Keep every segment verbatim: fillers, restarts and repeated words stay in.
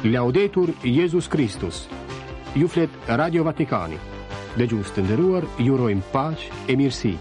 Laudetur Jezus Kristus. Ju flet Radio Vatikani. Dëgjues të nderuar, ju urojmë paqe e mirësi.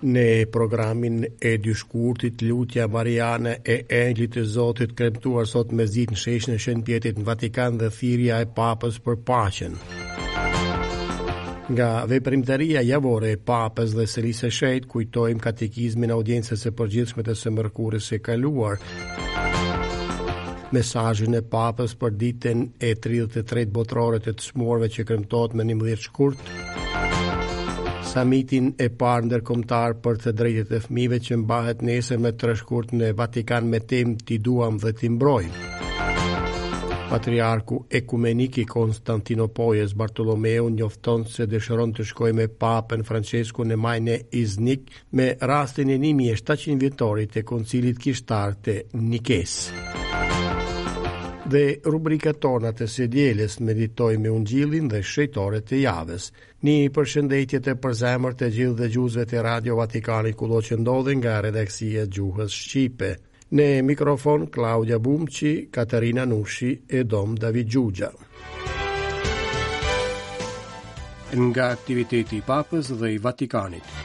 Në programin e dy shkurtit lutja Mariane e Engjëllit të Zotit kremtuar sot mesditë në sheshin e Shën Pjetrit në Vatikan dhe thirrja e Papës për paqen. Nga veprimtaria javore e Papës dhe Selisë së Shenjtë kujtojmë katekizmin e audiencës së përgjithshme të së mërkurës së kaluar. Mesazhin e Papës për ditën e tridhjetë e tretë botërore të të sëmurëve që kremtohet më njëmbëdhjetë shkurt. Samitin e parë ndërkombëtar për të drejtat e fëmijëve që mbahet nesër më tre shkurt në Vatikan me temë T'i duam dhe t'i mbrojmë. Patriarku ekumenik i Konstantinopojës Bartolomeu njofton se dëshiron të shkojë me Papën Francesku në maj në Iznik me rastin e një mijë e shtatëqind vjetorit të Koncilit Kishtar të Nikes. Dhe rubrikat tona të së dielës meditojmë me Ungjillin dhe shenjtorët e javës. Një përshëndetje të përzemërt të gjithë dëgjuesve të Radio Vatikanit kudo që ndodhen nga redaksia e gjuhës shqipe. Në mikrofon Klaudia Bumçi, Katarina Nushi e Dom David Xhuxha. Nga aktiviteti i Papës dhe i Vatikanit.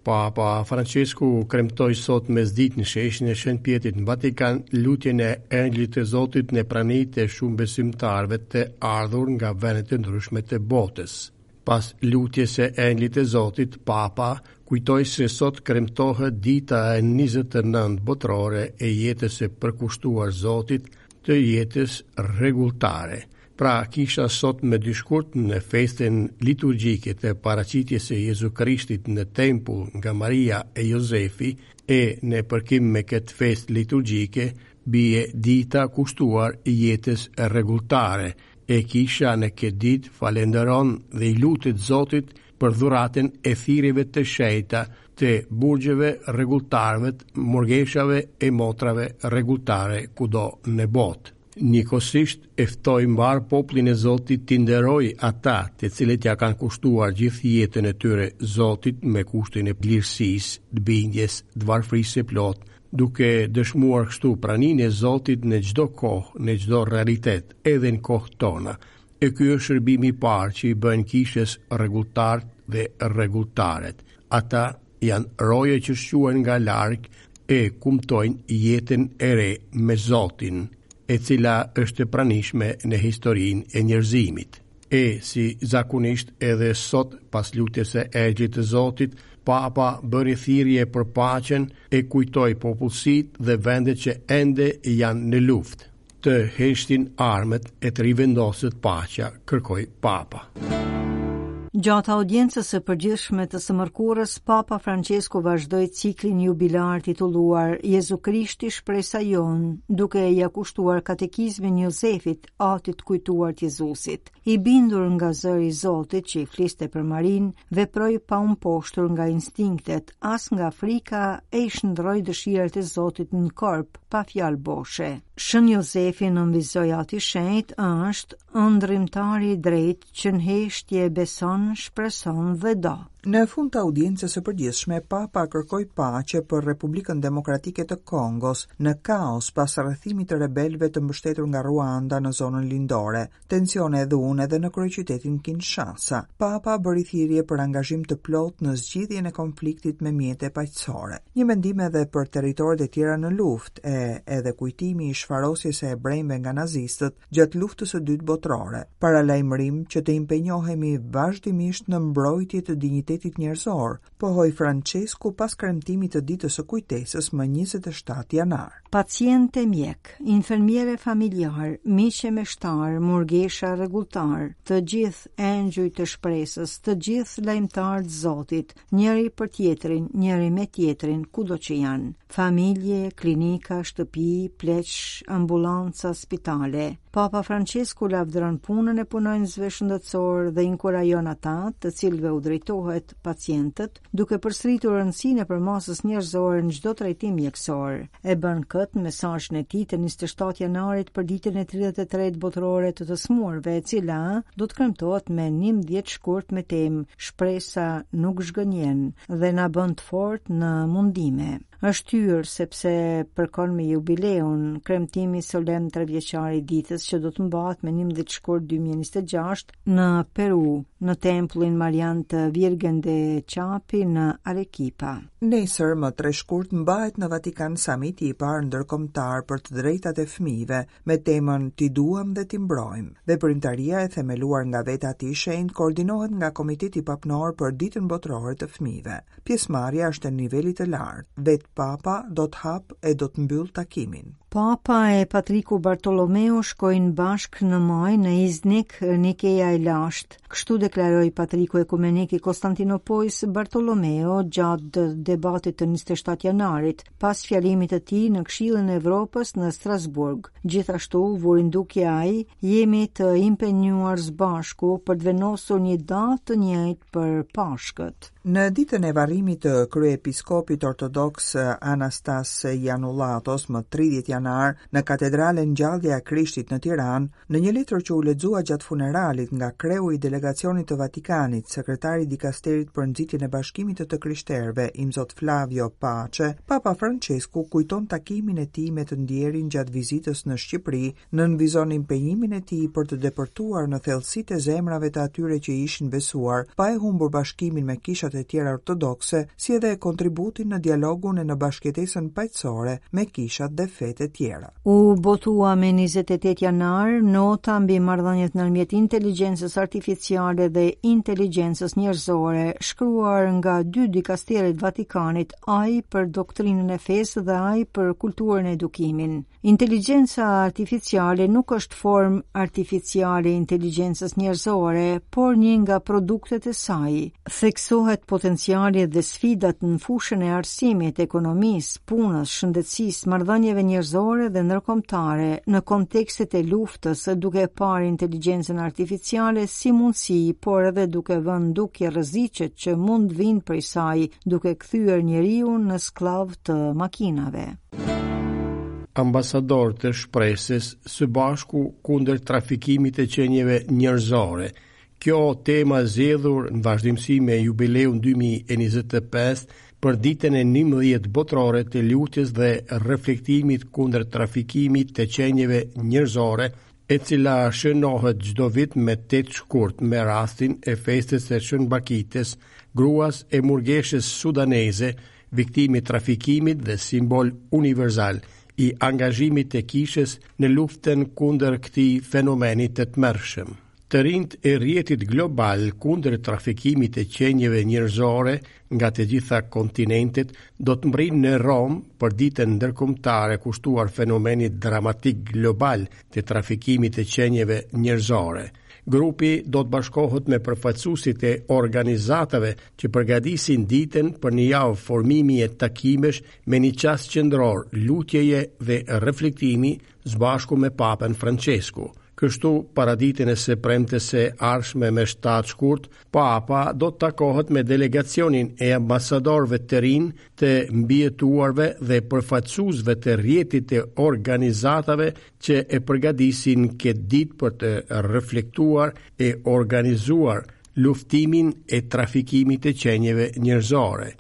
Papa Francesku kremtoi sot mesditë në sheshin e Shën Pjetrit në Vatikan lutjen e Engjëllit të Zotit në prani të shumë besimtarëve të ardhur nga vende të ndryshme të botës. Pas lutjes së Engjëllit të Zotit, Papa kujtoi se sot kremtohet dita e njëzet e nëntë botërore e jetës së përkushtuar Zotit, të jetës rregulltare. Pra, kisha sot me dy shkurt në festën liturgjike të paraqitjes së Jezu Krishtit në tempull nga Maria e Jozefi, e në përkim me këtë festë liturgjike bie dita kushtuar jetës rregulltare, e kisha në këtë ditë falenderon dhe i lutet Zotit për dhuratën e thirrjeve të shenjta të burgjeve rregulltarëve, murgeshave e motrave rregulltare kudo në botë. Njëkohësisht e ftoi mbar popullin e Zotit t'i nderoj ata të cilët ja kanë kushtuar gjithë jetën e tyre Zotit me kushtin e lirësisë, të bindjes, të varfërisë së plotë, duke dëshmuar kështu praninë e Zotit në çdo kohë, në çdo realitet, edhe në kohët tona. E ky është shërbimi i parë që i bën kishës rregulltarët dhe rregulltaret. Ata janë roje që shquhen nga larg e kumtojnë jetën e re me Zotin, e cila është e pranishme në historinë e njerëzimit. E si zakonisht edhe sot pas lutjes së Engjëllit të Zotit, Papa bëri thirrje për paqen e kujtoi popullsitë dhe vendet që ende janë në luftë. Të heshtin armët e të rivendoset paqja, kërkoi Papa. Gjatë audiencës së përgjithshme të së mërkurës, Papa Francesku vazhdoi ciklin jubilar titulluar Jezu Krishti shpresa jonë, duke ia kushtuar katekizmin Jozefit, atit kujtuar të Jezusit. I bindur nga zëri i Zotit që i fliste për Marinë, veproi pa u mposhtur nga instinktet, as nga frika e i shndroi dëshirat e Zotit në korp, pa fjalë boshe. Shën Jozefi nënvizoi ati shenjt është ëndrimtari i drejtë që në heshtje beson, shpreson dhe do. Në fund të audiencës së përgjithshme, Papa kërkoi paqe për Republikën Demokratike të Kongos në kaos pas rrethimit të rebelëve të mbështetur nga Ruanda në zonën lindore, tensione e dhunë edhe në kryeqytetin Kinshasa. Papa bëri thirrje për angazhim të plotë në zgjidhjen e konfliktit me mjete paqësore. Një mendim edhe për territoret e tjera në luftë, e edhe kujtimi i shfarosjes së hebrejve nga nazistët gjatë luftës së dytë botërore. Paralajmërim që të impenjohemi vazhdimisht në mbrojtje të dinjitetit njerëzor, pohoi Francesku pas kremtimit të ditës së kujtesës më njëzet e shtatë janar. Paciente mjek, infermiere familjar, miq e meshtar, murgesha rregulltar, të gjithë engjëj të shpresës, të gjithë lajmëtarë të Zotit, njëri për tjetrin, njëri me tjetrin, kudo që janë. Familje, klinika, shtëpi, pleq, ambulanca, spitale. Papa Francesku lavdëron punën e punonjësve shëndetësor dhe inkurajon ata, të cilëve u drejtohet pacientët, duke përsëritur rëndësinë e përmasës njerëzore në çdo trajtim mjekësor. E bën këtë në mesazhin e tij të njëzet e shtatë janarit për ditën e tridhjetë e tretë botërore të të smurve, e cila do të kremtohet me njëmbëdhjetë shkurt me temë Shpresa nuk zhgënjen dhe na bën të fortë në mundime. Është hyrë sepse përkon me jubileun, kremtimi solemn trevjeçar i ditës që do të mbahet me njëmbëdhjetë shkurt dy mijë e njëzet e gjashtë në Peru, në tempullin Marian të Virgen de Chapi në Arequipa. Nesër, më tre shkurt, mbahet në Vatikan samiti i parë ndërkombëtar për të drejtat e fëmijëve me temën Ti duam dhe ti mbrojmë. Veprimtaria e themeluar nga vetë Ati i Shenjtë koordinohet nga Komiteti Papnor për Ditën Botërore të Fëmijëve. Pjesëmarrja është e nivelit të lartë. Vetë Papa do të hap e do të mbyll takimin. Papa e Patriku Bartolomeo shkojnë bashkë në maj në Iznik, Nikeja e lashtë. Kështu deklaroi Patriku Ekumenik i Konstantinopojës Bartolomeo gjatë debatit të njëzet e shtatë janarit, pas fjalimit të tij në Këshillin e Evropës në Strasburg. Gjithashtu, vuri në dukje ai, jemi të impenjuar së bashku për të vendosur një datë të njëjtë për Pashkët. Në ditën e varrimit të kryeepiskopit ortodoks Anastas Janullatos më tridhjetë janar në katedralen Ngjallja e Krishtit në Tiranë, në një letër që u lexua gjatë funeralit nga kreu i delegacionit të Vatikanit, sekretari i dikasterit për nxitjen e bashkimit të të krishterëve, Imzot Flavio Pace, Papa Francesku kujton takimin e tij me të ndjerin gjatë vizitës në Shqipëri, nënvizon impenjimin e tij për të depërtuar në thellësitë e zemrave të atyre që ishin besuar, pa e humbur bashkimin me kishat e tjera ortodokse, si edhe kontributin në dialogun e në bashkëjetesën paqësore me kishat dhe fetë e tjera. U botua me njëzet e tetë janar nota mbi marrëdhëniet ndërmjet inteligjencës artificiale dhe inteligjencës njerëzore, shkruar nga dy dikasteret Vatikanit, ai për doktrinën e fesë dhe ai për kulturën e edukimin. Inteligjenca artificiale nuk është formë artificiale e inteligjencës njerëzore, por një nga produktet e saj. Theksohet potenciali dhe sfidat në fushën e arsimit, ekonomisë, punës, shëndetësisë, marrëdhënieve njerëzore dhe ndërkombëtare në kontekstet e luftës, duke parë inteligjencën artificiale si mundësi, por edhe duke vënë dukje rreziqet që mund vinë prej saj, duke kthyer njeriu në skllav të makinave. Ambasador të shpresës së bashku kundër trafikimit të qenieve njerëzore. Kjo tema zgjedhur në vazhdimësi me jubileun dy mijë e njëzet e pesë për ditën e njëmbëdhjetë botërore të lutjes dhe reflektimit kundër trafikimit të qenieve njerëzore, e cila shënohet çdo vit me tetë shkurt me rastin e festës së Shën Bakitës, gruas e murgeshës sudaneze, viktimi i trafikimit dhe simbol universal i angazhimit të kishës në luftën kundër këtij fenomeni të tmerrshëm. Të rinjt e rrjetit global kundër trafikimit të qenieve njerëzore nga të gjitha kontinentet do të mbrijnë në Romë për ditën ndërkombëtare kushtuar fenomenit dramatik global të trafikimit të qenieve njerëzore. Grupi do të bashkohet me përfaqësuesit e organizatave që përgatisin ditën për një javë formimi e takimesh me një qas qendror, lutjeje dhe reflektimi së bashku me Papën Francesku. Kështu, para ditën e së premtes së ardhshme me shtatë shkurt, Papa do të takohet me delegacionin e ambasadorëve të rinj, të mbijetuarve dhe përfaqësuesve të rrjetit të organizatave që e përgatisin këtë ditë për të reflektuar e organizuar luftimin e trafikimit të qenieve njerëzore.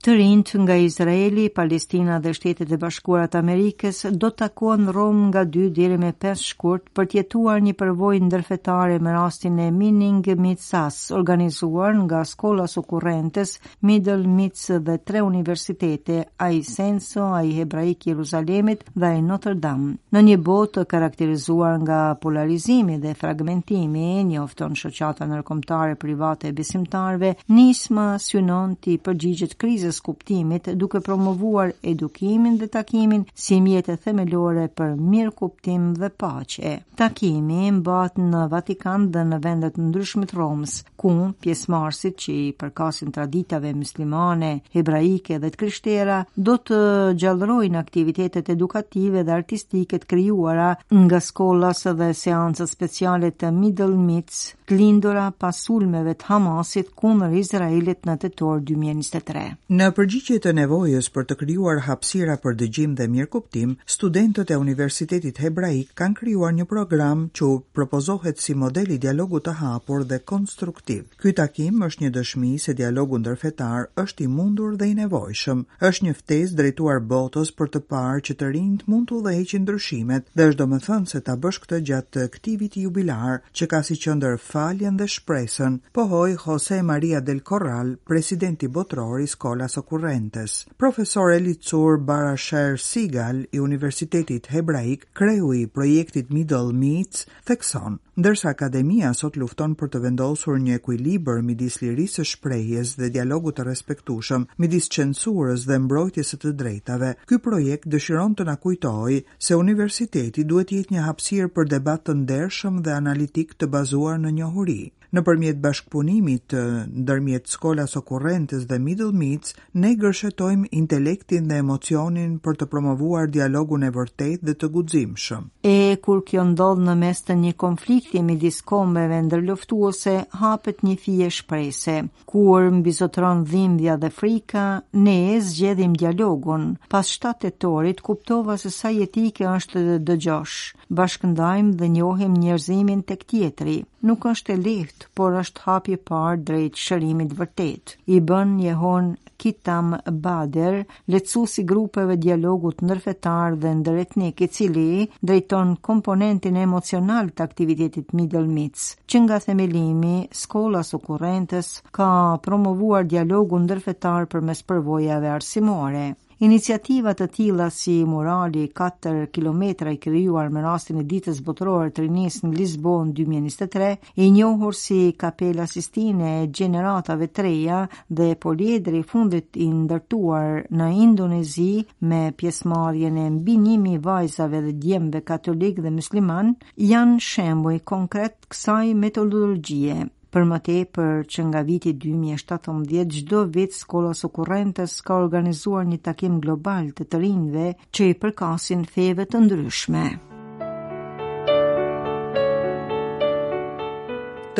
Të rinjt nga Izraeli, Palestina dhe Shtetet e Bashkuara të Amerikës do të takohen në Romë nga dy deri me pesë shkurt për të jetuar një përvojë ndërfetare me rastin e Meaning Meets Us, organizuar nga Scholas Occurrentes, Middle Meets dhe tre universitete, ai Senso, ai Hebraik Jeruzalemit dhe ai Notre Dame. Në një botë të karakterizuar nga polarizimi dhe fragmentimi, njofton shoqata ndërkombëtare private e besimtarëve, nisma synon t'i përgjigjet krizës së kuptimit, duke promovuar edukimin dhe takimin si mjete themelore për mirëkuptim dhe paqe. Takimi mbahet në Vatikan dhe në vende të ndryshme të Romës, ku pjesëmarrësit që i përkasin traditave muslimane, hebraike dhe të krishtera do të gjallërojnë aktivitetet edukative dhe artistike të krijuara nga Scholas dhe seancat speciale të Middle Meets, të lindura pas sulmeve të Hamasit kundër Izraelit në tetor dy mijë e njëzet e tre. Në përgjigje të nevojës për të krijuar hapësira për dëgjim dhe mirëkuptim, studentët e Universitetit Hebraik kanë krijuar një program që u propozohet si model i dialogut të hapur dhe konstruktiv. Ky takim është një dëshmi se dialogu ndërfetar është i mundur dhe i nevojshëm. Është një ftesë drejtuar botës për të parë që të rinjt mund të udhëheqin ndryshimet dhe është domethënë se ta bësh këtë gjatë këtij viti jubilar që ka si qendër faljen dhe shpresën, pohoi Jose Maria del Corral, presidenti botëror i Scholas Occurrentes. Profesor Elitzur Barasher Sigal i Universitetit Hebraik, kreu i projektit Middle Meets, thekson: ndërsa akademia sot lufton për të vendosur një ekuilibër midis lirisë së shprehjes dhe dialogut të respektueshëm, midis censurës dhe mbrojtjes së të drejtave, ky projekt dëshiron të na kujtojë se universiteti duhet të jetë një hapësirë për debat të ndershëm dhe analitik të bazuar në njohuri. Nëpërmjet bashkëpunimit ndërmjet Scholas Occurrentes dhe Middle Meets, ne gërshetojmë intelektin dhe emocionin për të promovuar dialogun e vërtetë dhe të guximshëm. E kur kjo ndodh në mes të një konflikti midis kombeve ndërluftuese, hapet një fije shprese. Kur mbizotron dhimbja dhe frika, ne zgjedhim dialogun. Pas shtatë tetorit kuptova se sa jetike është të dëgjosh. Bashkëndajmë dhe njohim njerëzimin tek tjetri. Nuk është e lehtë, por është hapi i parë drejt shërimit vërtet. I bën jehon Kitam Bader, lehtësues i grupeve dialogut ndërfetar dhe ndëretnik, i cili drejton komponentin emocional të aktivitetit Middle Meets. Që nga themelimi, Scholas Occurrentes ka promovuar dialogun ndërfetar përmes përvojave arsimore. Iniciativa të tilla si murali katër kilometra i krijuar me rastin e Ditës Botërore të Rinisë në Lisbonë dy mijë e njëzet e tre, i njohur si Kapela Sistine e gjeneratave të reja dhe poliedri i fundit i ndërtuar në Indonezi me pjesëmarrjen e mbi një mijë vajzave dhe djemve katolik dhe musliman, janë shembuj konkret kësaj metodologjie. Për më tepër, që nga viti dy mijë e shtatëmbëdhjetë, çdo vit Scholas Occurrentes ka organizuar një takim global të të rinjve që i përkasin feve të ndryshme.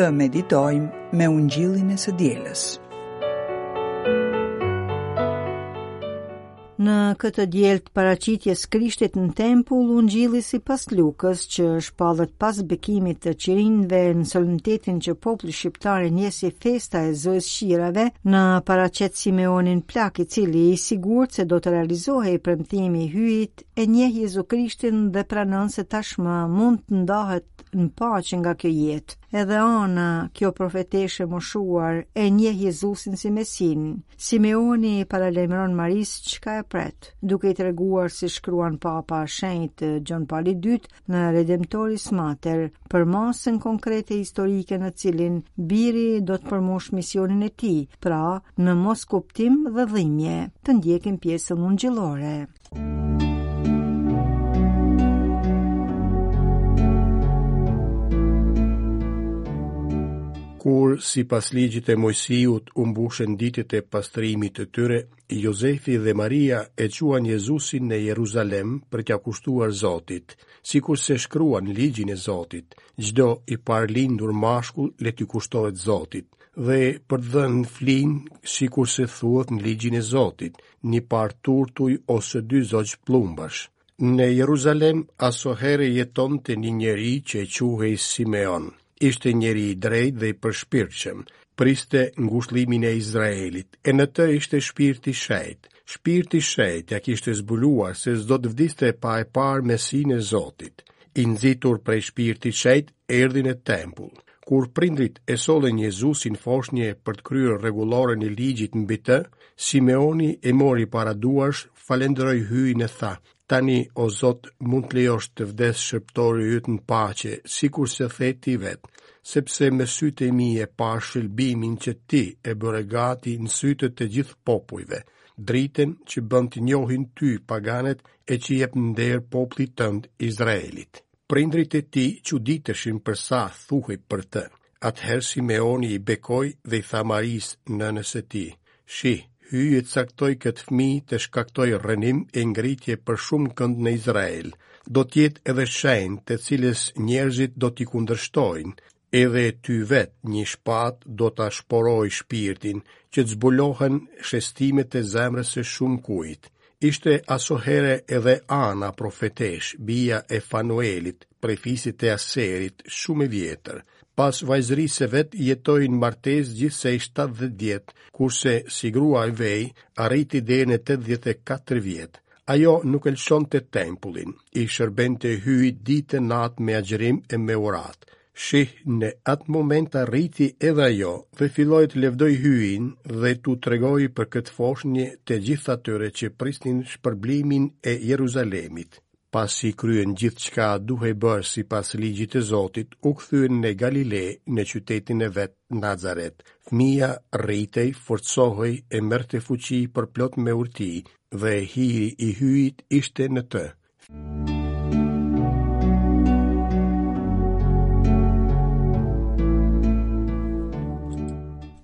Të meditojmë me ungjillin e së dielës. Në këtë diel të paraqitjes Krishtit në tempull, ungjilli sipas Lukës, që shpallet pas bekimit të qirinjve në solemnitetin që populli shqiptar e njeh si festa e Zojës Qirave, në paraqet Simeonin plak, i cili i sigurt se do të realizohej premtimi i Hyjit, e njeh Jezu Krishtin dhe pranon se tashmë mund të ndahet në paqe nga kjo jetë. Edhe Ana, kjo profeteshe moshuar, e njeh Jezusin si Mesin. Simeoni paralajmëron Marisë çka e pret, duke i treguar si shkruan Papa Shenjt Gjon Pali i dytë në Redemptoris Mater, për masën konkrete historike në cilin biri do të përmbush misionin e tij, pra në moskuptim dhe dhimbje. Të ndjekim pjesën ungjillore. Kur, sipas ligjit e Mojsiut, u mbushën ditët e pastrimit të tyre, Jozefi dhe Maria e quan Jezusin në Jeruzalem për t'ia kushtuar Zotit, sikurse shkruan ligjin e Zotit, çdo i parlindur mashkull le t'i kushtohet Zotit, dhe për të dhënë flin, sikurse thuhet në ligjin e Zotit, një par turtuj ose dy zogj plumbash. Në Jeruzalem asohere jetonte një njeri që quhej Simeon. Ishte njeri i drejtë dhe i përshpirtshëm, priste ngushëllimin e Izraelit, e në të ishte shpirti i shenjtë. Shpirti i shenjtë ja kishte zbuluar se s'do të vdiste pa e parë Mesinë e Zotit. I nxitur prej shpirtit shenjtë, erdhi në tempull. Kur prindrit e sollën Jezusin foshnje për të kryer rregulloren e ligjit mbi të, Simeoni e mori para duarsh, falënderoi Hyjin e tha: Tani, o Zot, mund të lejosh të vdes shërbëtori yt në paqe, sikurse the ti vet, sepse me sytë e mi e pashë shëlbimin që ti e bëre gati në sytë të gjithë popujve, dritën që bën të njohin ty paganët e që jep nder popullit tënd Izraelit. Prindrit e tij çuditeshin për sa thuhej për të. Atëherë Simeoni i bekoi dhe i tha Marisë, nënës së tij: Shih, Hyji e caktoi këtë fëmijë të shkaktojë rrënim e ngritje për shumë kënd në Izrael. Do të jetë edhe shenjë të cilës njerëzit do t'i kundërshtojnë, edhe ty vetë një shpatë do ta shporojë shpirtin, që të zbulohen shestimet e zemrës së shumë kujt. Ishte asohere edhe Ana profeteshë, bija e Fanuelit, prej fisit të Aserit, shumë e vjetër. Pas vajzërisë së vet jetoi në martesë gjithsej shtatëdhjetë vjet, kurse si grua e vej arriti deri në tetëdhjetë e katër vjet. Ajo nuk e lëshonte tempullin, i shërbente Hyjit ditë e natë me agjërim e me uratë. Shih, në atë moment arriti edhe ajo dhe filloi të lëvdojë Hyjin dhe t'u tregojë për këtë foshnjë të gjithë atyre që prisnin shpërblimin e Jeruzalemit. Pasi kryen gjithçka duhej bërë sipas ligjit të Zotit, u kthyen në Galile, në qytetin e vet, Nazaret. Fëmija rritej, forcohej e merrte fuqi përplot me urti, dhe hiri i Hyjit ishte në të.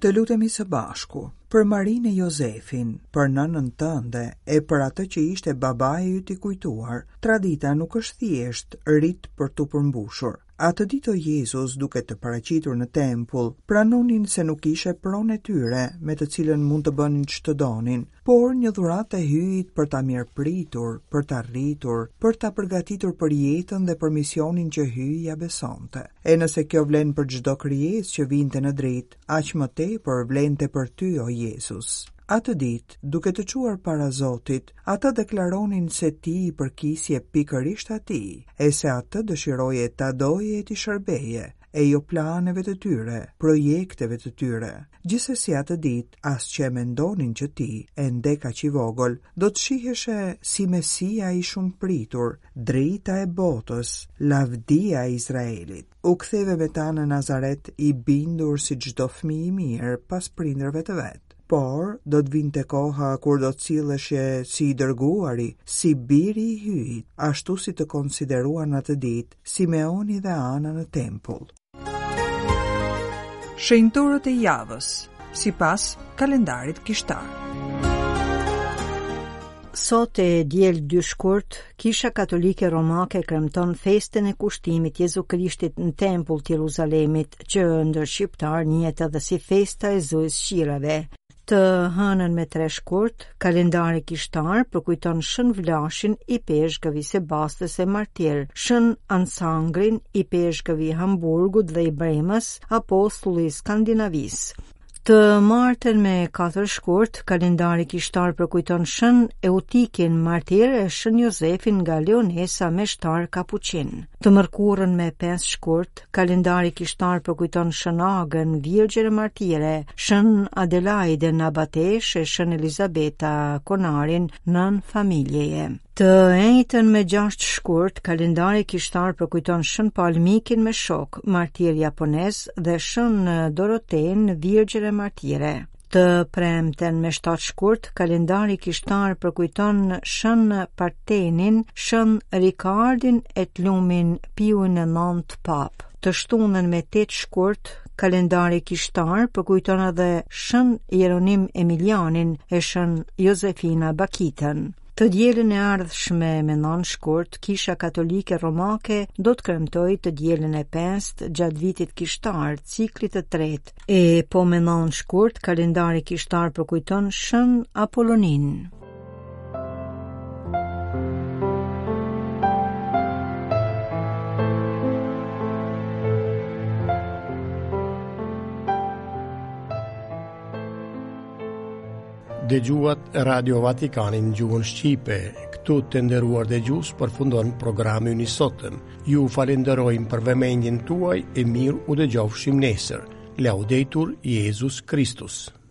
Të lutemi së bashku për Marinë e Jozefin, për nënën tënde e për atë që ishte babai yt i kujtuar. Tradita nuk është thjesht rit për t'u përmbushur. Atë ditë o Jezus, duke të paraqitur në tempull, pranonin se nuk ishe pronë e tyre, me të cilën mund të bënin ç'të donin, por një dhuratë e Hyjit për ta mirëpritur, për ta rritur, për ta përgatitur për jetën dhe për misionin që Hyji ja besonte. E nëse kjo vlen për çdo krijesë që vinte në dritë, aq më tepër vlente për ty, o Jezus. Atë ditë, duke të çuar para Zotit, ata deklaronin se ti i përkisje pikërisht atij, e se atë dëshiroje ta doje e t'i shërbeje, e jo planeve të tyre, projekteve të tyre. Gjithsesi atë ditë, as që e mendonin që ti, ende kaq i vogël, do të shiheshe si Mesia i shumëpritur, drita e botës, lavdia e Izraelit. U ktheve me ta në Nazaret i bindur si çdo fëmijë i mirë pas prindërve të vet. Por do të vinte koha kur do të silleshe si i dërguari, si biri i Hyjit, ashtu si të konsideruan atë ditë Simeoni dhe Ana në tempull. Shenjtorët e javës, sipas kalendarit kishtar. Sot e diel dy shkurt, Kisha Katolike Romake kremton festën e kushtimit Jezu Krishtit në tempull të Jeruzalemit, që ndër shqiptar njihet edhe si festa e Zojës Qirave. Të hënën me tre shkurt, kalendari kishtar përkujton Shën Vlashin i peshkëvi Sebastës e Martir, Shën Ansangrin i peshkëvi Hamburgut dhe i Bremës, apostulli i Skandinavisë. Të martën me katër shkurt, kalendari kishtar përkujton Shën Eutikin Martir e Shën Jozefin nga Leonesa meshtar Kapuçin. Të mërkurën me pesë shkurt, kalendari kishtar përkujton Shën Agën, Virgjër e Martire, Shën Adelaiden Abatesh e Shën Elizabeta Konarin, nën familjeje. Të enjten me gjashtë shkurt, kalendari kishtar përkujton Shën Pal Mikin me shok, martir japonez, dhe Shën Doroten, Virgjër e Martire. Të premten me shtatë shkurt, kalendari kishtar përkujton Shën Partenin, Shën Ricardin e të lumin Piun e nëntë Papë. Të shtunën me tetë shkurt, kalendari kishtar përkujton edhe Shën Jeronim Emilianin e Shën Josefina Bakitën. Të dielën e ardhshme me nëntë shkurt, Kisha Katolike Romake do të kremtojë të dielën e pestë gjatë vitit kishtar, ciklit të tretë. E po me nëntë shkurt, kalendari kishtar përkujton Shën Apollonin. Dëgjuat Radio Vatikanin në gjuhën shqipe. Këtu të nderuar dëgjues përfundon programi ynë i sotëm. Ju falenderojmë për vëmendjen tuaj e mirë u dëgjofshim nesër. Laudetur Jezus Kristus.